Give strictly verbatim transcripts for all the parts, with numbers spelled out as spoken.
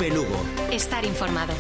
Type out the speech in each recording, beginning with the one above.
Lupe Lugo. Estar informado.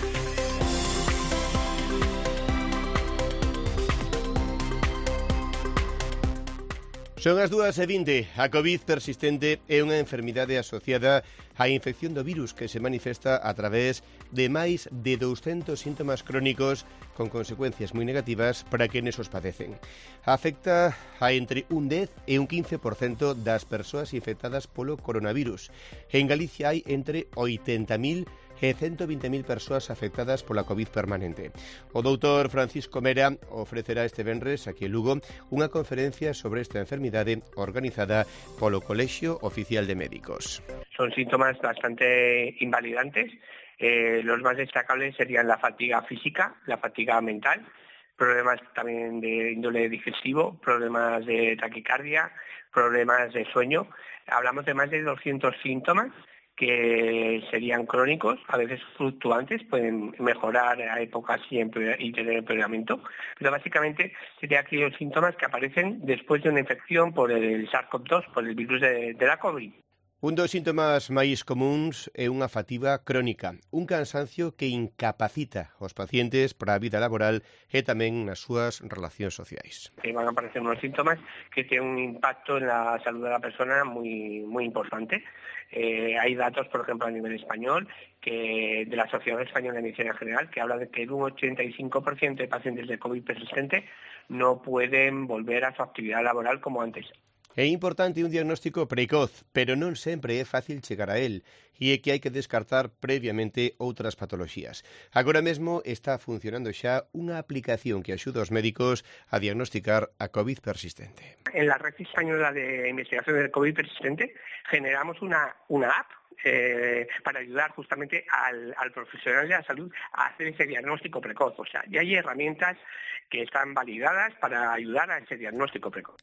Son as dúas e vinte. A COVID persistente é unha enfermidade asociada á infección do virus que se manifesta a través de máis de douscentos síntomas crónicos con consecuencias moi negativas para quenes os padecen. Afecta a entre un dez e un quince por cento das persoas infectadas polo coronavirus. En Galicia hai entre oitenta mil e ciento veinte mil persoas afectadas pola COVID permanente. O doutor Francisco Mera ofrecerá este venres aquí en Lugo unha conferencia sobre esta enfermidade organizada polo Colexio Oficial de Médicos. Son síntomas bastante invalidantes. Eh, los más destacables serían la fatiga física, la fatiga mental, problemas también de índole digestivo, problemas de taquicardia, problemas de sueño. Hablamos de más de doscientos síntomas que serían crónicos, a veces fluctuantes, pueden mejorar a épocas y, y tener empeoramiento, pero básicamente serían aquellos síntomas que aparecen después de una infección por el SARS-CoV dos, por el virus de, de la COVID. Un dos síntomas máis comuns é unha fatiga crónica, un cansancio que incapacita os pacientes para a vida laboral e tamén nas súas relacións sociais. Van a aparecer unos síntomas que tienen un impacto en la salud de la persona muy, muy importante. Eh, hay datos, por ejemplo, a nivel español, que de la Sociedad Española de Medicina General, que habla de que un ochenta y cinco por ciento de pacientes de COVID persistente no pueden volver a su actividad laboral como antes. É importante un diagnóstico precoz, pero non sempre é fácil chegar a él, e é que hai que descartar previamente outras patoloxías. Agora mesmo está funcionando xa unha aplicación que axuda aos médicos a diagnosticar a COVID persistente. En la Red Española de Investigación del COVID persistente generamos una, una app Eh, para ayudar justamente al, al profesional de la salud a hacer ese diagnóstico precoz. O sea, ya hay herramientas que están validadas para ayudar a ese diagnóstico precoz.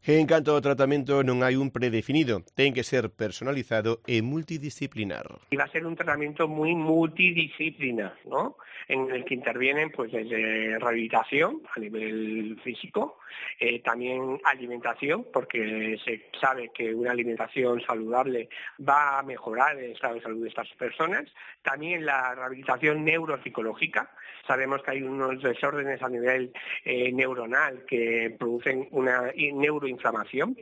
En canto ao tratamento non hai un predefinido, ten que ser personalizado e multidisciplinar. Y va a ser un tratamiento muy multidisciplinar, ¿no? En el que intervienen pues desde rehabilitación a nivel físico, eh, también alimentación, porque se sabe que una alimentación saludable va a mejorar el estado de salud de estas personas, también la rehabilitación neuropsicológica. Sabemos que hay unos desórdenes a nivel eh, neuronal que producen una neuroinflamación.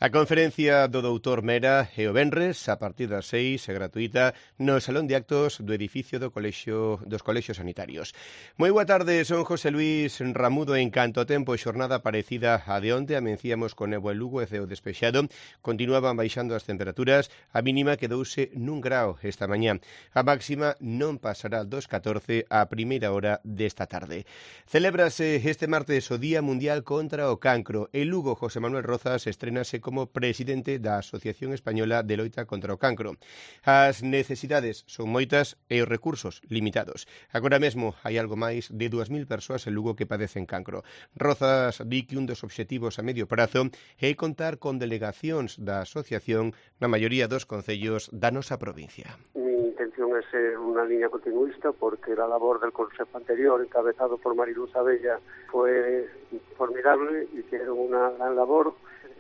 A conferencia do doutor Mera e o venres, a partir das seis, é gratuita no Salón de Actos do edificio do colexio, dos colexios sanitarios. Moi boa tarde, son José Luis Ramudo. En canto ao tempo, xornada parecida a de onte, amencíamos con néboa en Lugo e ceo despexado, continuaban baixando as temperaturas, a mínima quedouse nun grao esta mañá. A máxima non pasará dos catorce a primeira hora desta tarde. Celébrase este martes o Día Mundial contra o Cancro. En Lugo, José Manuel Rozas estrenase como como presidente da Asociación Española de Loita contra o Cancro. As necesidades son moitas e os recursos limitados. Agora mesmo hai algo máis de dúas mil persoas en Lugo que padecen cancro. Rozas di que un dos obxectivos a medio prazo é contar con delegacións da asociación na maioría dos concellos da nosa provincia. Mi intención é ser unha línea continuista porque la labor del consejo anterior, encabezado por Mariluz Abella, fue formidable, hicieron una gran labor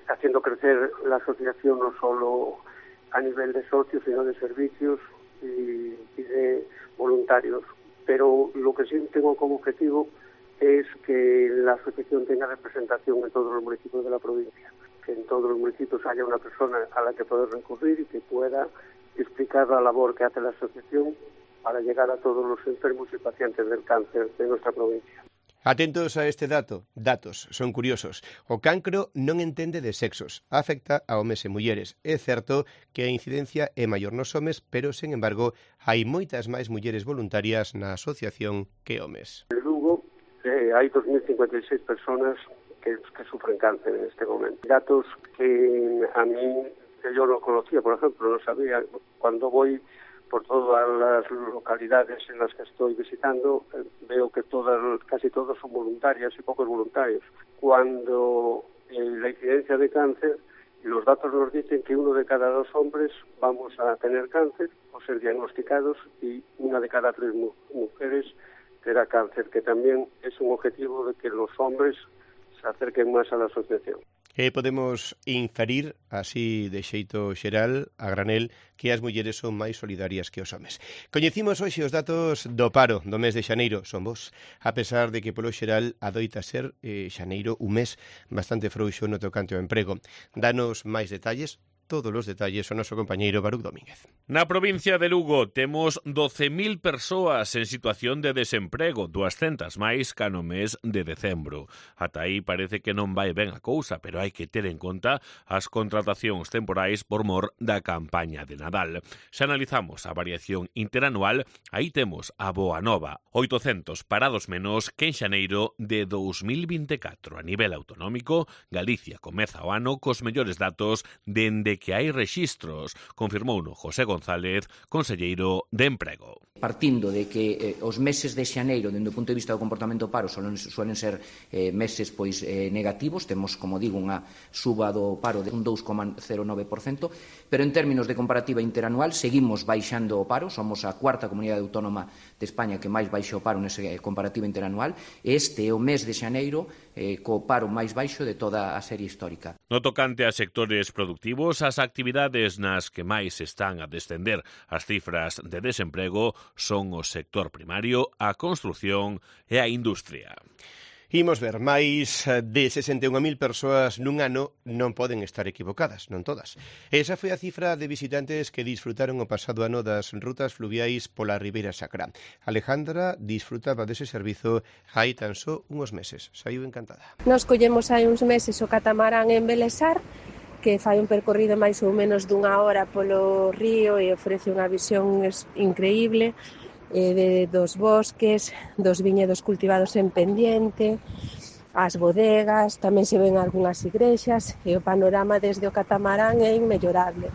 haciendo crecer la asociación no solo a nivel de socios, sino de servicios y, y de voluntarios. Pero lo que sí tengo como objetivo es que la asociación tenga representación en todos los municipios de la provincia, que en todos los municipios haya una persona a la que poder recurrir y que pueda explicar la labor que hace la asociación para llegar a todos los enfermos y pacientes del cáncer de nuestra provincia. Atentos a este dato, datos, son curiosos. O cancro non entende de sexos, afecta a homes e mulleres. É certo que a incidencia é maior nos homes, pero, sen embargo, hai moitas máis mulleres voluntarias na asociación que homes. En Lugo eh, hai dos mil cincuenta y seis personas que, que sufren cáncer en este momento. Datos que a mí, que yo no conocía, por ejemplo, no sabía. Cuando voy por todas las localidades en las que estoy visitando, eh, veo que todas, casi todos son voluntarias y pocos voluntarios. Cuando eh, la incidencia de cáncer, los datos nos dicen que uno de cada dos hombres vamos a tener cáncer o ser diagnosticados y una de cada tres mu mujeres tendrá cáncer, que también es un objetivo de que los hombres se acerquen más a la asociación. E podemos inferir, así de xeito xeral, a granel, que as mulleres son máis solidarias que os homes. Coñecimos hoxe os datos do paro do mes de xaneiro, son vos, a pesar de que polo xeral adoita ser eh, xaneiro un mes bastante frouxo no tocante ao emprego. Danos máis detalles, todos os detalles o noso compañeiro Baruch Domínguez. Na provincia de Lugo temos doce mil persoas en situación de desemprego, duascentas máis ca no mes de decembro. Ata aí parece que non vai ben a cousa, pero hai que ter en conta as contratacións temporais por mor da campaña de Nadal. Se analizamos a variación interanual, aí temos a boa nova, oitocentos parados menos que en xaneiro de dous mil vinte e catro. A nivel autonómico, Galicia comeza o ano cos mellores datos dende que hai rexistros, confirmouno José González, conselleiro de Emprego. Partindo de que eh, os meses de xaneiro, dende o punto de vista do comportamento do paro, suelen, suelen ser eh, meses pois eh, negativos, temos, como digo, unha suba do paro de un dous coma cero nove por cento, pero en términos de comparativa interanual seguimos baixando o paro, somos a cuarta comunidade autónoma de España que máis baixa o paro nesa comparativa interanual, e este é o mes de xaneiro eh, co paro máis baixo de toda a serie histórica. No tocante a sectores productivos, as actividades nas que máis están a descender as cifras de desemprego son o sector primario, a construción e a industria. Imos ver, máis de sesenta e unha mil persoas nun ano non poden estar equivocadas, non todas. Esa foi a cifra de visitantes que disfrutaron o pasado ano das rutas fluviais pola Ribeira Sacra. Alejandra disfrutaba dese servizo hai tan só uns meses. Saiu encantada. Nos collemos hai uns meses o catamarán en Belesar, que fai un percorrido máis ou menos dunha hora polo río e ofrece unha visión increíble eh, de, dos bosques, dos viñedos cultivados en pendiente, as bodegas, tamén se ven algunhas igrexas e o panorama desde o catamarán é inmellorable.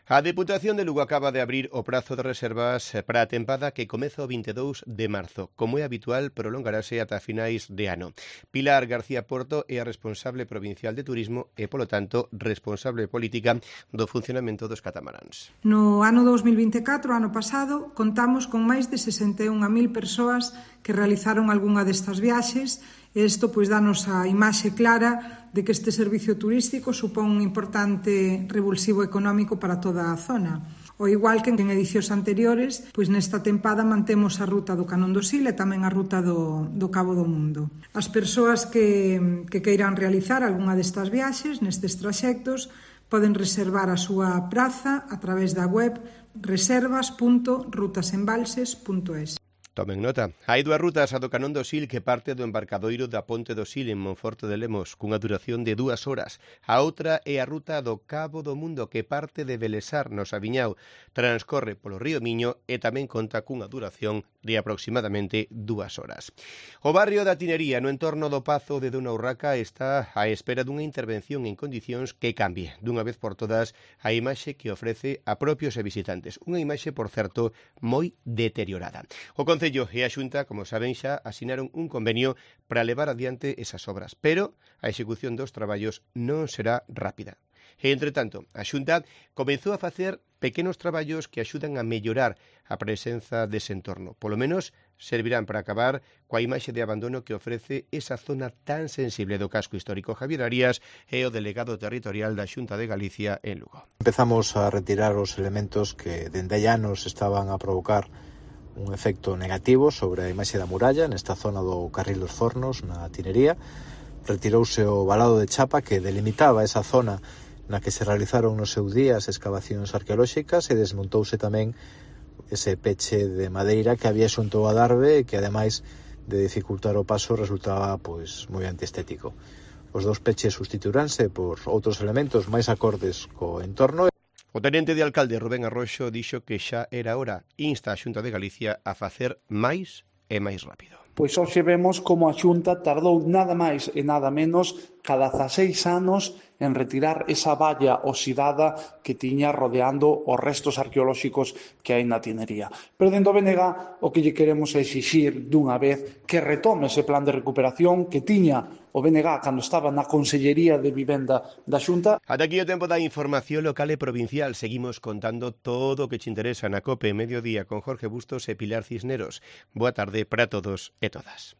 A Deputación de Lugo acaba de abrir o prazo de reservas para a tempada que comeza o vinte e dous de marzo. Como é habitual, prolongarase ata finais de ano. Pilar García Porto é a responsable provincial de turismo e, polo tanto, responsable política do funcionamento dos catamaráns. No ano dous mil vinte e catro, ano pasado, contamos con máis de sesenta e unha mil persoas que realizaron algunha destas viaxes. Isto pois danos a imaxe clara de que este servicio turístico supón un importante revulsivo económico para toda a zona. O igual que en edicións anteriores, pois nesta tempada mantemos a ruta do Canón do Sil e tamén a ruta do, do Cabo do Mundo. As persoas que, que queiran realizar algunha destas viaxes nestes traxectos poden reservar a súa praza a través da web reservas punto rutasembalses punto es. Tomen nota. Hai dúas rutas, a do Canón do Sil que parte do embarcadoiro da Ponte do Sil en Monforte de Lemos, cunha duración de dúas horas. A outra é a ruta do Cabo do Mundo que parte de Belesar, no Sabiñao, transcorre polo río Miño e tamén conta cunha duración de aproximadamente dúas horas. O barrio da Tinería, no entorno do Pazo de Dona Urraca, está á espera dunha intervención en condicións que cambie, dunha vez por todas, a imaxe que ofrece a propios e visitantes. Unha imaxe, por certo, moi deteriorada. O Concello e a Xunta, como saben xa, asinaron un convenio para levar adiante esas obras, pero a execución dos traballos non será rápida. E, entre tanto, a Xunta comezou a facer pequenos traballos que axudan a mellorar a presenza dese entorno. Polo menos servirán para acabar coa imaxe de abandono que ofrece esa zona tan sensible do casco histórico. Javier Arias é o delegado territorial da Xunta de Galicia en Lugo. Empezamos a retirar os elementos que dende hai anos estaban a provocar un efecto negativo sobre a imaxe da muralla nesta zona do Carril dos Fornos, na Tinería. Retirouse o valado de chapa que delimitaba esa zona na que se realizaron nos seus días excavacións arqueolóxicas e desmontouse tamén ese peche de madeira que había xunto ao adarve e que, ademais de dificultar o paso, resultaba pois moi antiestético. Os dous peches sustituiránse por outros elementos máis acordes co entorno. O tenente de alcalde Rubén Arroxo dixo que xa era hora, insta a Xunta de Galicia a facer máis e máis rápido. Pois hoxe vemos como a Xunta tardou nada máis e nada menos cada dezaseis anos en retirar esa valla oxidada que tiña rodeando os restos arqueolóxicos que hai na Tinería. Pero dentro do B N G o que lle queremos é exixir dunha vez que retome ese plan de recuperación que tiña o B N G cando estaba na Consellería de Vivenda da Xunta. Ata aquí o tempo da información local e provincial. Seguimos contando todo o que te interesa na COPE Mediodía con Jorge Bustos e Pilar Cisneros. Boa tarde para todos e todas.